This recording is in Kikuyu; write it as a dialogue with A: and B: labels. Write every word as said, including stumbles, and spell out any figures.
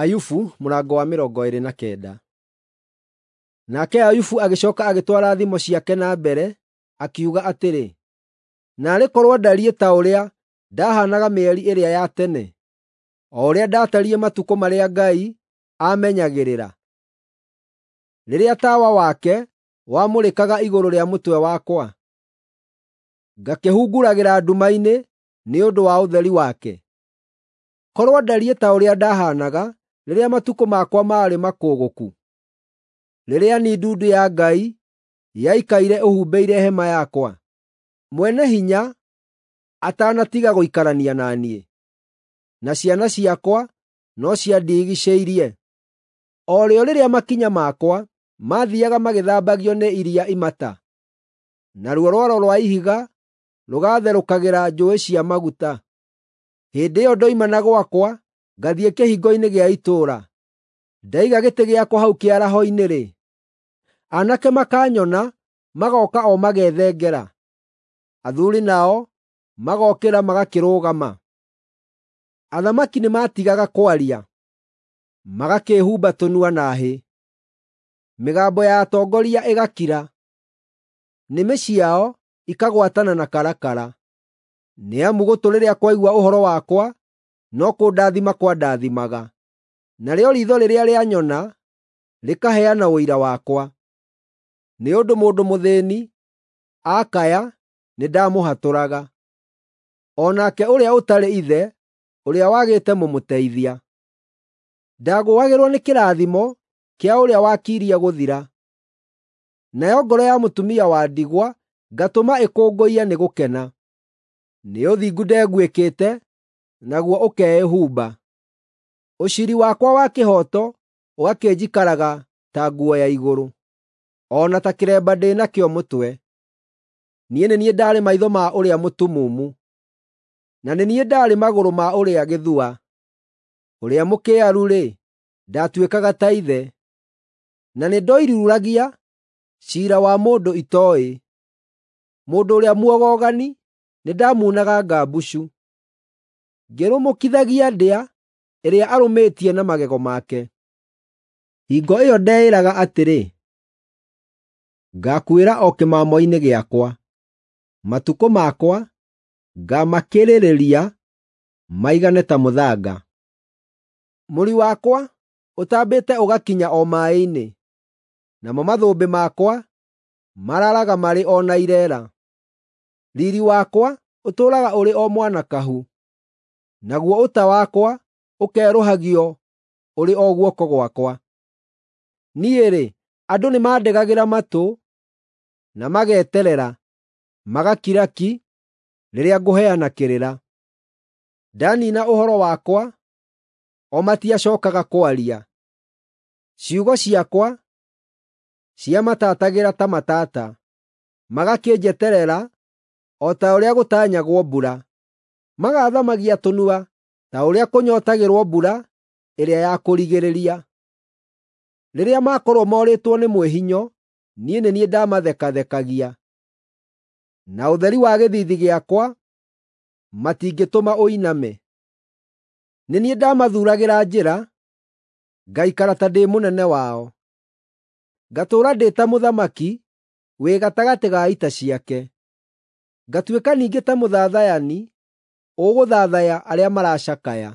A: Ayubu mũrango wa mĩrongo ĩĩrĩ na kenda. Nake Ayubu agĩcooka agĩtwara thimo ciake na mbere, akiuga atĩrĩ, “Naarĩ korwo ndariĩ ta ũrĩa ndahaanaga mĩeri ĩrĩa ya tene, o ũrĩa ndaatariĩ matukũ marĩa Ngai aamenyagĩrĩra, rĩrĩa tawa wake wamũrĩkaga igũrũ rĩa mũtwe wakwa, ngakĩhunguragĩra nduma-inĩ nĩ ũndũ wa ũtheri wake. Korwo ndariĩ ta ũrĩa ndahaanaga rĩrĩa matukũ makwa maarĩ makũgũku, rĩrĩa niĩ ndundu ya Ngai yaikaire ĩhumbĩire hema yakwa, Mwene-Hinya atanatiga gũikarania na niĩ, na ciana ciakwa no ciandigiicĩirie, o rĩo rĩrĩa makinya makwa maathiiaga magĩthambagio nĩ iria imata, naruo rwaro rwa ihiga rũgatherũkagĩra njũũĩ cia maguta. Hĩndĩ ĩyo ndoima na gwakwa ngathiĩ kĩhingo-inĩ gĩa itũũra, ndaiga gĩtĩ gĩakwa hau kĩaraho-inĩ-rĩ, aanake makanyona magooka o magethengera, athuuri nao magookĩra magakĩrũgama. Athamaki nĩmatigaga kwaria, magakĩĩhumba tũnua na hĩ; mĩgambo ya atongoria ĩgakira, nĩmĩ ciao ikagwatana na karakara. Nĩ amu gũtũ rĩrĩa kwaigua ũhoro wakwa no kũndathima kwandathimaga, narĩo riitho rĩrĩa rĩanyona rĩkaheana ũira wakwa. Nĩ ũndũ mũndũ mũthĩĩni aakaya nĩndamũhatũraga, o nake ũrĩa ũtarĩ ithe, ũrĩa wagĩte mũmũteithia. Ndagũagĩrwo nĩ kĩrathimo kĩa ũrĩa wakirie gũthira, nayo ngoro ya mũtumia wa ndigwa ngatũma ĩkũngũiye nĩ gũkena. Nĩ ũthingu ndeguĩkĩte, naguo ũkeĩhumba; ũciiri wakwa wa kĩhooto ũgakĩnjikaraga ta nguo ya igũrũ, o na ta kĩremba ndĩ nakĩo mũtwe. Niĩ nĩ niĩ ndaarĩ maitho ma ũrĩa mũtumumu, na nĩ niĩ ndaarĩ magũrũ ma ũrĩa gĩthua. Ũrĩa mũkĩaru-rĩ, ndaatuĩkaga ta ithe, na nĩndoiruragia ciira wa mũndũ itooĩ. Mũndũ ũrĩa muogogani nĩndamuunaga ngambucu, ngĩrũmũkithagia ndĩa ĩrĩa arũmĩtie na magego make. Hingo ĩyo ndeĩraga atĩrĩ, “Ngaakuĩra o kĩmamo-inĩ gĩakwa; matukũ makwa ngaamakĩrĩrĩria maigane ta mũthanga.” Mũri wakwa ũtambĩte ũgakinya o maaĩ-inĩ, namo mathũmbĩ makwa maraaraga marĩ o na ireera. Riiri wakwa ũtũũraga ũrĩ o mwanakahu, naguo ũta wakwa ũkerũhagio ũrĩ o guoko gwakwa. Niĩ-rĩ, andũ nĩmandegagĩra matũ na mageterera, magakira ki rĩrĩa ngũheana kĩrĩra. Ndaniina ũhoro wakwa, o matiacookaga kwaria; ciugo ciakwa ciamatatagĩra ta matata, magakĩnjeterera o ta ũrĩa gũtanyagwo mbura, magaathamagia tũnua ta ũrĩa kũnyootagĩrwo mbura ĩrĩa ya kũrigĩrĩria. Rĩrĩa makorwo morĩtwo nĩ mwĩhinyo, niĩ nĩ niĩ ndamathekathekagia, na ũtheri wa gĩthiithi gĩakwa matingĩtũma ũiname. Nĩ niĩ ndamathuuragĩra njĩra, ngaikara ta ndĩ mũnene wao, ngatũũra ndĩ ta mũthamaki wĩ gatagatĩ ga ita ciake, ngatuĩka ningĩ ta mũthathayani ũgũthathaya arĩa maracakaya.